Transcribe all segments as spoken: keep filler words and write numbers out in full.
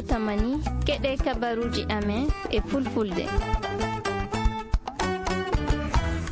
Tamani, keɗe kabaruuji amen e fulfulde.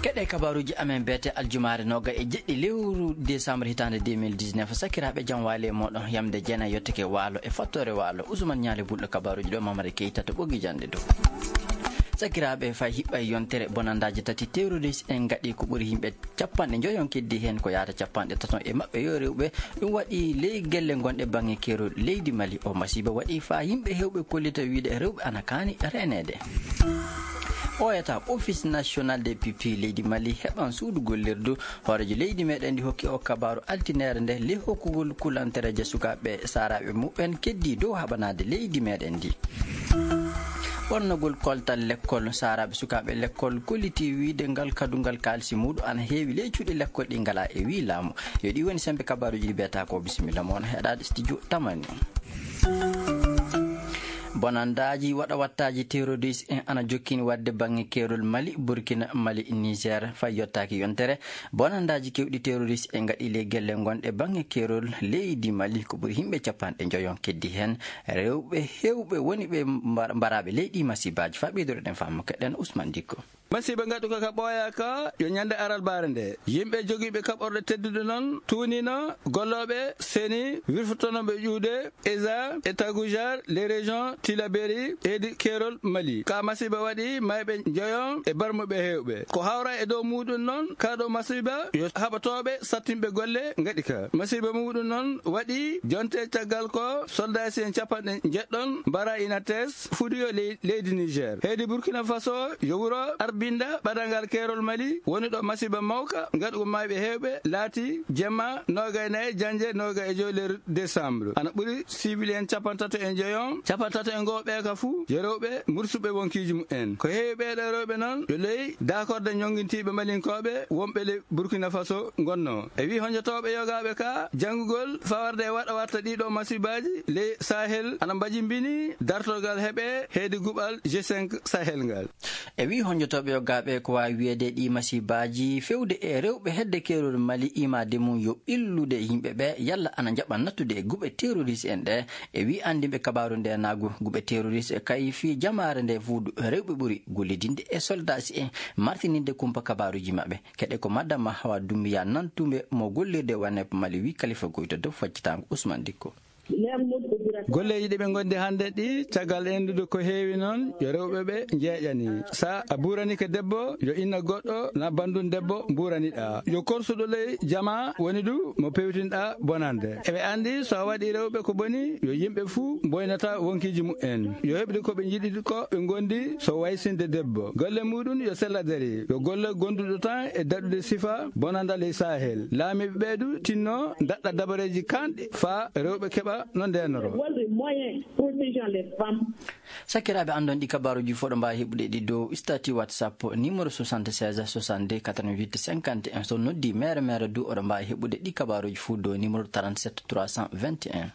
Keɗe kabaruuji amen beete aljumaare nooga e jeɗɗi lewru décembre hitaande deux mille dix-neuf. Sakiraaɓe, jam waali e mooɗon, yamde jeenay yottake waalo e fattoore waalo. Usman Ñaale Bulɗo kabaruuji ɗo, Mamari Keyta to ɓoggi jannde dow. Sakiraaɓe, fay hiɓɓay yontere bonandaaji tati terroriste en ngaɗi ko ɓuri yimɓe capanɗe njoyon keddi heen ko yaata capanɗe taton e maɓɓe yo rewɓe. Ɗum waɗi ley gelle gonɗe baŋŋe keerol leydi Mali. O masiiba waɗi faa yimɓe heewɓe kollita wiyde rewɓe ana kaani reeneede. Ɓooyata Office National des Pupilles leydi Mali heɓan suudu gollirdu. Hooreejo leydi meɗen ndi hokki o kabaaru altineere nde ley hokkugol kulantereeje sukaaɓe saaraaɓe muɓɓen keddi dow haɓanaade leydi meɗen ndi. Ɓornogol koltal lekkol saaraaɓe sukaaɓe lekkol kolliti wiyde ngal kadungal kaalisi muuɗum ana heewi ley cuuɗi lekkol ɗi ngalaa e wii laamu. Yo ɗi woni sembe kabaruuji ɗi beeta ko bisimilla mo on heɗaade studio Tamani. Bonandaaji waɗa wattaaji terroriste en ana jokkini waɗde baŋŋe keerol Mali, Burkina, Mali, Niger, fay yottaaki yontere. Bonandaaji keewɗi terroriste en ngaɗi ley gelle gonɗe baŋŋe keerol leydi Mali ko ɓuri yimɓe capanɗe njoyon keddi heen. Rewɓe heewɓe woni ɓe mbar-, mbaraaɓe ley ɗi masiibaaji. Faa ɓeydoreɗen faamu keɗen Ousmane Dikko. Masiiba ngaɗuka ka ɓooya ka yo ñande aralbaare nde. Yimɓe jogiiɓe kaɓorɗe tedduɗe noon tuunino gollooɓe seni wirfotonooɓe ƴuude Eza e Tagujar, les régions Tilaberi, heedi keerol Mali. Ka masiiba waɗi mayɓe njoyon e barmuɓe heewɓe. Ko hawra e dow muuɗum noon, ka ɗo masiiba yo haɓatooɓe sattinɓe golle ngaɗi ka. Masiiba muuɗum noon waɗi jonte caggal ko soldaasi en capanɗe njeɗɗon mbara Inates fuɗi yo ley-, leydi Niger. Heedi Burkina Faso yo wuro Arbinda ɓadangal keerol Mali woni ɗo masiiba mawka ngaɗugo mayɓe heewɓe laati jemma noogay nayi janje noogay e joy lewru décembre. Ana ɓuri civil en capantato e njoyon, capantato e ngoo ɓeeka fuu yo rewɓe mursuɓe wonkiiji mumen. Ko heewi ɓeeɗo rewɓe noon yo ley daakorde ñongintiiɓe Malinkooɓe wonɓe ley Burkina Faso ngonnoo. E wii honjotooɓe yogaaɓe ka janngugol fawarde e waɗa watta ɗiɗo masiibaaji ley Sahel ana mbajimbini dartorgal heɓe heedi guɓal G cinq Sahel ngal. E wii honjotooɓe yogaaɓe ko waawi wiyeede ɗi masiibaaji fewde e rewɓe hedde keerol Mali imaade mum yo ɓillude yimɓe ɓe yalla ana njaɓa nattude e guɓe terroriste en ɗe. E wii anndinɓe kabaaru nde naagu guɓe terroriste kay fii jamaare nde fuudu rewɓe ɓuri gollidinde e soldaasi en martininde kumpa kabaaruuji maɓɓe. Keɗe ko Madama Hawa Dumbiya nantuɓe mo gollirde waneep Mali wii Kalifa Goyto dow faccitaango Ousmane Dikko. Golleeji ɗi ɓe ngondi hannde ɗi, caggal endude ko heewi noon, yo rewɓe ɓe njeeƴani. Sa a buuranike debbo, yo inna goɗɗo na banndum debbo mbuuraniɗa. Yo korsuɗo ley jama woni du mo pewtinɗa bonande. Eɓe anndi so a waɗi rewɓe ko boni, yo yimɓe fuu mboynata wonkiiji mumen. Yo heɓde ko ɓe njiɗi ko ɓe ngondi so waysinde debbo. Golle muɗum yo sella dari. Yo golle gonduɗo tan e daɗude sifa bonanda ley Sahel. Laamiiɓe ɓee du tinno daɗɗa dabareeji kanɗi faa rewɓe keɓa no ndeenoro. What the moyen protection les femmes. Sakiraaɓe, anndon ɗi kabaaruuji fof ɗo mbaawi heɓude ɗi dow statut WhatsApp numéro soixante-seize soixante-deux quatre-vingt-huit cinquante et un. So noddi mere mere du oɗo mbaawi heɓude ɗi kabaaruuji fof dow numéro trente-sept trois cent vingt et un.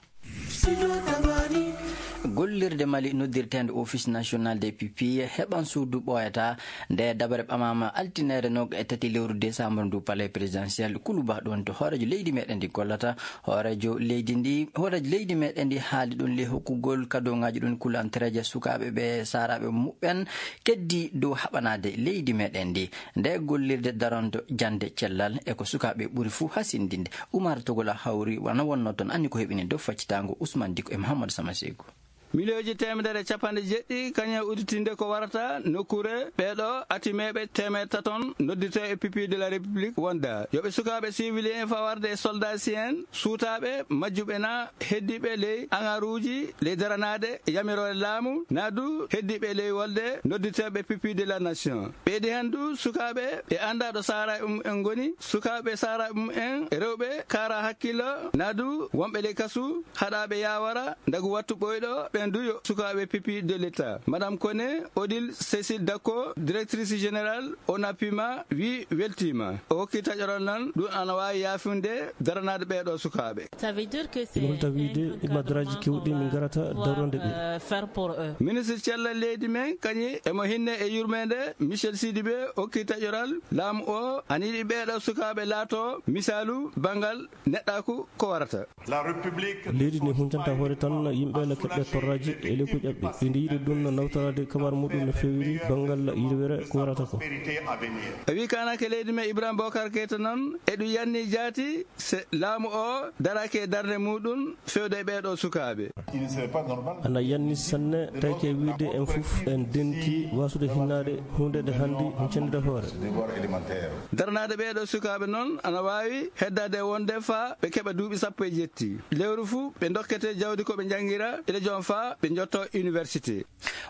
Gollirde Mali noddirteende Office National des Pupilles heɓan suudu ɓooyata. Nde dabare ɓamaama altineere noga e tati lewru décembre ndu palais présidentiel Kuluba ɗon to hooreejo leydi meɗen ndi gollata. Hooreejo leydi ndi, hooreejo leydi meɗen ndi haali ɗon ley hokkugol kadongaaji ɗon kulantereeje sukaaɓe ɓe saaraaɓe muɓɓen keddi dow haɓanaade leydi meɗen ndi. Nde gollirde daronto jannde cellal e ko sukaaɓe ɓuri fuu hasindinde. Umar Togola hawri wano wonno toon, anni ko heɓini dow faccitaango Ousmane Diko e Mouhamadou Sama Sekou. Miliyooji teemedere e capanɗe jeɗɗi kañum e udditinde ko warata nokkuure ɓeeɗo atimeeɓe teemeɗe taton noddirtee e pupille de la République wonda. Yo ɓe sukaaɓe civil en fawarde e soldat si en suutaaɓe majjuɓe na heddiiɓe ley aŋaruuji ley daranaade yamiroore laamu na du heddiiɓe ley wolde noddirteeɓe pupille de la nation. Ɓeydi heen du sukaaɓe ɓe anndaa ɗo saaraaɓe mum en ngoni, sukaaɓe saaraaɓe mum en rewɓe kaara hakkillo na du wonɓe ley kasu haɗaaɓe yaawara ndagu wattu ɓooyɗo ɓen du yo sukaaɓe pupille de l'État. Madame Koné, Odile Cécile Dacko, directrice générale ONAPIMA, wii weltiima. O hokki taƴoral nan ɗum ana waawi yaafunde daranaade ɓeeɗo sukaaɓe. Ça veut dire que c'est ina holta wiide e madaraaji kewɗi min ngarata dawrande ɓe. Ministre cellal leydi men kañum emo hinne e yurmeende Michel Sidibé hokki taƴoral laamu o ana yiɗi ɓeeɗo sukaaɓe laato misaalu banngal neɗɗaaku ko warata. Leydi ndi huncanta hoore tan yimɓe no keɓɓe torra. Aji e lekku ƴaɓɓe. Ɓe ndi yiɗi ɗum no nawtoraade kabar muɗum no feewiri banngal yiɗoyere ko warata ko. E wi kanake leydi men Ibrahima Bokar Keita noon, eɗum yanni jaati se laamu o darake e darnde muɗum fewde e ɓeeɗo sukaaɓe. Ana yanni sanne, tawke wiide en fof en denki wasude hinnaade huunde nde hanndi cendere hoore. Darnaade ɓeeɗo sukaaɓe noon ana waawi heddaade wonde faa ɓe keɓa duuɓi sappo e jetti. Lewru fuu ɓe ndokkete jawdi ko ɓe njanngira e lejoon faa ɓe njotto université.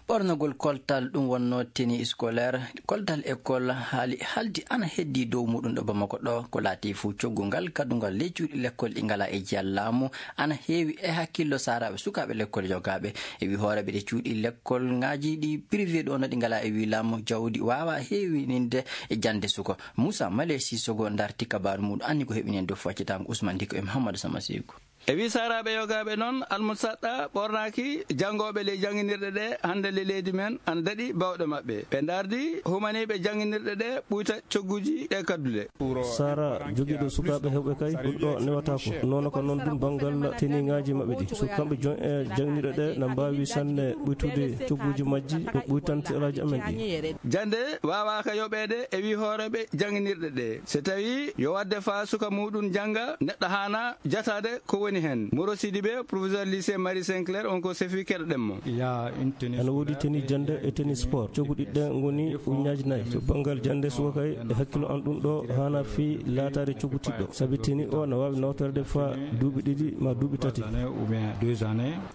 Ɓornagol koltal ɗum wonnoo tenue scolaire, koltal école haali haldi ana heddi dow muɗum ɗo Bamako ɗo, ko laati fuu coggu ngal kaddungal ley cuuɗi lekkol ɗi ngalaa e jiyal laamu ana heewi e hakkillo saaraaɓe sukaaɓe lekkol yogaaɓe. E wi hooreeɓe ɗe cuuɗi lekkol ŋaaji ɗi privé ɗo no ɗi ngalaa e wi laamu jawdi waawa heewininde e jannde suko. Moussa Malesi Sogo darti kabaaru muɗum anni ko heɓini en dow faccitango Ousmane Diko e Mouhamadou Sama Sekou. E wi saaraaɓe yogaaɓe noon, almusaɗɗa ɓornaaki janngooɓe ley jannginirɗe ɗe hannde le leydi men ana daɗi bawɗe maɓɓe. Ɓe ndardi humaniiɓe jannginirɗe ɗe ɓuyta cogguuji ɗe kaddule. Sara jogiiɗo sukaaɓe heewɓe kay, ɗum ɗo newataako. Noon ko noon ɗum banngal teniŋaaji maɓɓe ɗi. So kamɓe jon e jannginirɗe ɗe na mbaawi sanne ɓuytude cogguuji majji, ɗum ɓuytante alaaji amen ɗi. Jannde waawaaka yoɓeede e wi hooreeɓe jannginirɗe ɗe. So tawii yo waɗde faa suka muɗum jannga, neɗɗo haana jataade ko woni heen. Moro Sidibé, professeur lycée Marie Sinclair, on ko sefi keɗoɗen mo. Ana woodi tenue jannde e tenue sport. Coggu ɗiɗi ɗe ngoni ujunnaaji nayi. To banngal jannde suka kay, e hakkillo am ɗum ɗo haana fii laataade coggu tiiɗɗo. Sabi tenue o na waawi nawtoreede faa duuɓi ɗiɗi maa duuɓi tati.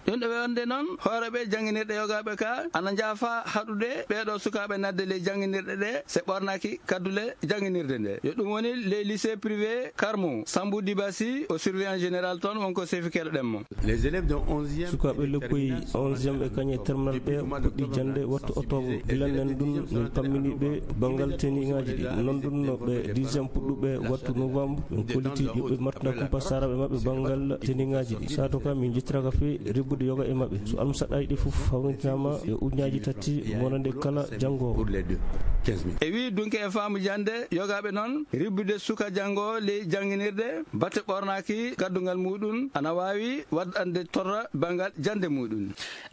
Ɗum ɗo wonde noon, hooreeɓe jannginirɗe yogaaɓe ka ana njaafa haɗude ɓeeɗo sukaaɓe naatde ley jannginirɗe ɗe, se ɓornaaki kaddule jannginirde nde. Yo ɗum woni les lycées privés Carmo, Sambou Dibassi, o surveillant général toon, wonko sefi keɗoɗen mo. Les élèves de onzième Sukaaɓe lekkoy onzième e kañe terminal ɓe puɗɗi jannde wattu octobre. Gila nen ɗum, min pammini ɓe banngal teniŋaaji ɗi. Noon ɗum no ɓe dixième puɗɗuɓe wattu novembre, min kolliti yo ɓe martana kumpa saaraaɓe maɓɓe banngal teniŋaaji ɗi. Sato ka min njettiraka fii rebbude yoga e maɓɓe. So almusaɗɗaaji ɗi fof hawrintinaama e ujunnaaji tati monande kala janngoowo. E wi dunke e faamu jannde yogaaɓe noon, rebbude suka janngoowo ley jannginirde, batte ɓornaaki kaddungal muɗum ana waawi waɗande torra banngal jannde muɗum.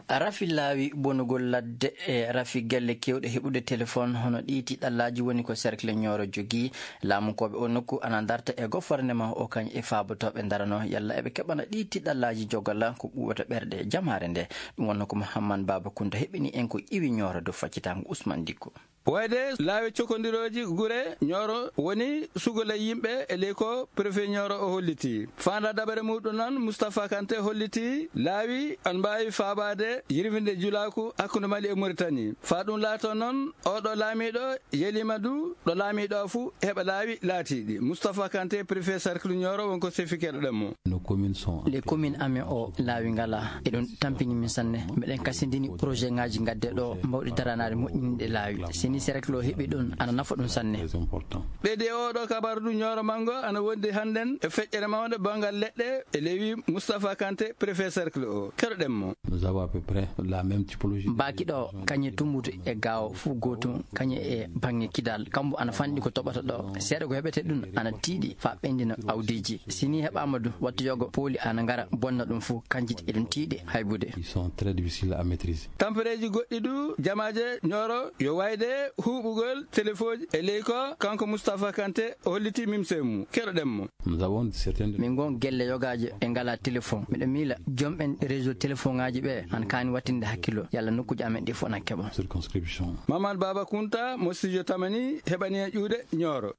Rafi laawi bonugol ladde e rafi gelle keewɗe heɓude telefoŋ hono ɗii tiiɗallaaji woni ko cercle Nioro jogii. Laamunkooɓe o nokku ana ndarta e gofornema o kañ e faabotooɓe ndarano yalla eɓe keɓana ɗii tiiɗallaaji jogala ko ɓuuɓata ɓerɗe jamaare nde. Ɗum wonno ko Mouhammad Baba Kounta heɓini en ko iwi Nioro dow faccitango Ousmane Dikko. Wayde laawi cokondirooji gure Nioro woni sugola yimɓe e ley ko préfet Nioro o holliti. Faanda dabare muɗum noon, Moustapha Kanté holliti laawi an mbaawi faabaade yirwinde julaaku hakkunde Mali e Mauritanie. Faa ɗum laato noon, oɗo laamiiɗo yeliima du ɗo laamiiɗo o fuu heɓa laawi laatiiɗi. Moustapha Kanté, préfet cercle Nioro, wonko sefi keɗoɗen mo. Nos communes sont Les communes amen o laawi ngalaa. Eɗum tampini min sanne. Miɗen kasindini projet ŋaaji ngadde ɗo mbawɗi daranaade moƴƴinde laawi. Si ni cercle o heɓi ɗum, ana nafa ɗum sanne. Très important. Ɓeydi e oɗo kabaru du Nioro Mango ana wondi hannden e feƴƴere mawnde banngal leɗɗe e lewi Moustapha Kanté, préfet cercle o. Keɗoɗen mo. Nous avons à peu près la même typologie. Baaki ɗo, kañe tumbutu e gaawo fuu gootum, kañe e baŋŋe kidal. Kambo ana fanɗi ko toɓata ɗo. Seeɗa ko heɓete ɗum ana tiiɗi faa ɓendina awdiiji. Si ni heɓaama du, wattu yogo pooli ana ngara bonna ɗum fuu, kanji eɗum tiiɗi haybude. Ils sont très difficiles à maîtriser. Tampereeji goɗɗi du jamaaje Nioro yo wayde huuɓugol telefooji e ley ko kanko Moustapha Kanté holliti mimse mum. Keɗoɗen mo. Nous avons certaines Min ngon gelle yogaaje ɗe ngalaa telefoŋ. Miɗo miila jom'en réseau telefoŋaaji ɓe ana kaani wattinde hakkillo yalla nokkuuji amen ɗi fof na keɓa. Circonscription. Mamad Baba Kounta mo studio Tamani heɓani en ƴuuɗe Nioro.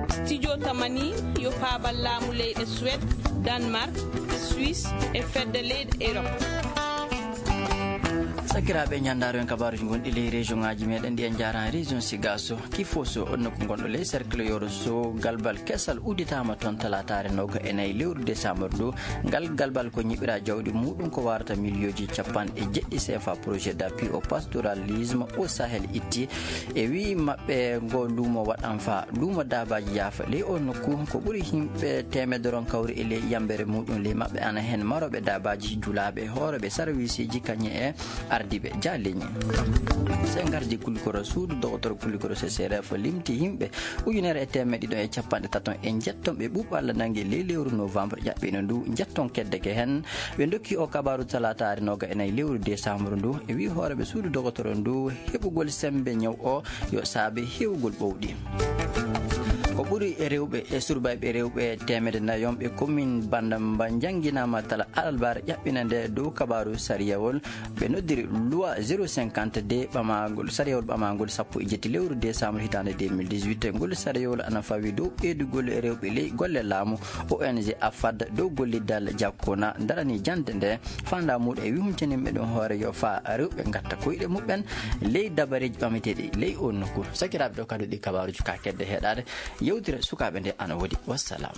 Studio Tamani yo paabal laamu leyɗe Suède, Danemark, Suisse e fedde leyɗe Europe. Sakiraaɓe, ñanndaaro en kabaaruuji gonɗi ley région ŋaaji meɗen ɗi, en njaaraani région Sigasso, Kifosso, on nokku gonɗo ley cercle Yoro Sow, galbal kesal udditaama toon talaataare nooga e nayi lewru décembre ndu. Ngal galbal ko ñiɓira jawdi muɗum ko warata miliyooji capanɗe jeɗɗi C F A, projet d'appui au pastoralisme au Sahel itti. E wii maɓɓe ngo luumo waɗan faa luumo daabaaji yaafa ley o nokku, ko ɓuri yimɓe teemedere on kawri e ley yambere muɗum ley maɓɓe ana heen marooɓe daabaaji, julaaɓe, hooreeɓe sarwiisiiji kañe e Dibe jaalini. Sengarji kulikoro suudu dogotoro kulikoro C C R F limti yimɓe ujunere e teemeɗe ɗiɗo e capanɗe tato e njetton ɓe ɓuuɓalla nangi ley lewru novembre ƴaɓɓino ndu. Njetton keddeke heen ɓe dokki o kabaru talataare noga e nayi lewru décembre ndu e wi hooreɓe suudu dogotoro ndu heɓugol sembe ñaw o yo saabe hewgol ɓowɗi. Ko ɓuri e rewɓe e surbayɓe rewɓe teemede nayi on ɓe commune Bandamba njannginama tala alarba ƴaɓɓina nde dow kabaru sariyawol ɓe noddiri loi zéro cinquante-deux ɓamagol sariyawol ɓamagol sappo e jetti lewru décembre hitande deux mille dix-huit. Ngol sariyawol ana fawi dow ɓeydugol rewɓe ley golle laamu. O N G Afad dow golliddal jakkuna darani jannde nde fanda muɗum e wihumtinimɓe ɗum hoore yo fa rewɓe ngatta koyɗe muɓɓen ley dabareji ɓamateɗi ley o nokku. Sakiraɓe ɗo kadu ɗi kabaruji ka kedde heɗade yewtire sukaɓe nde ana woodi. Wassalam.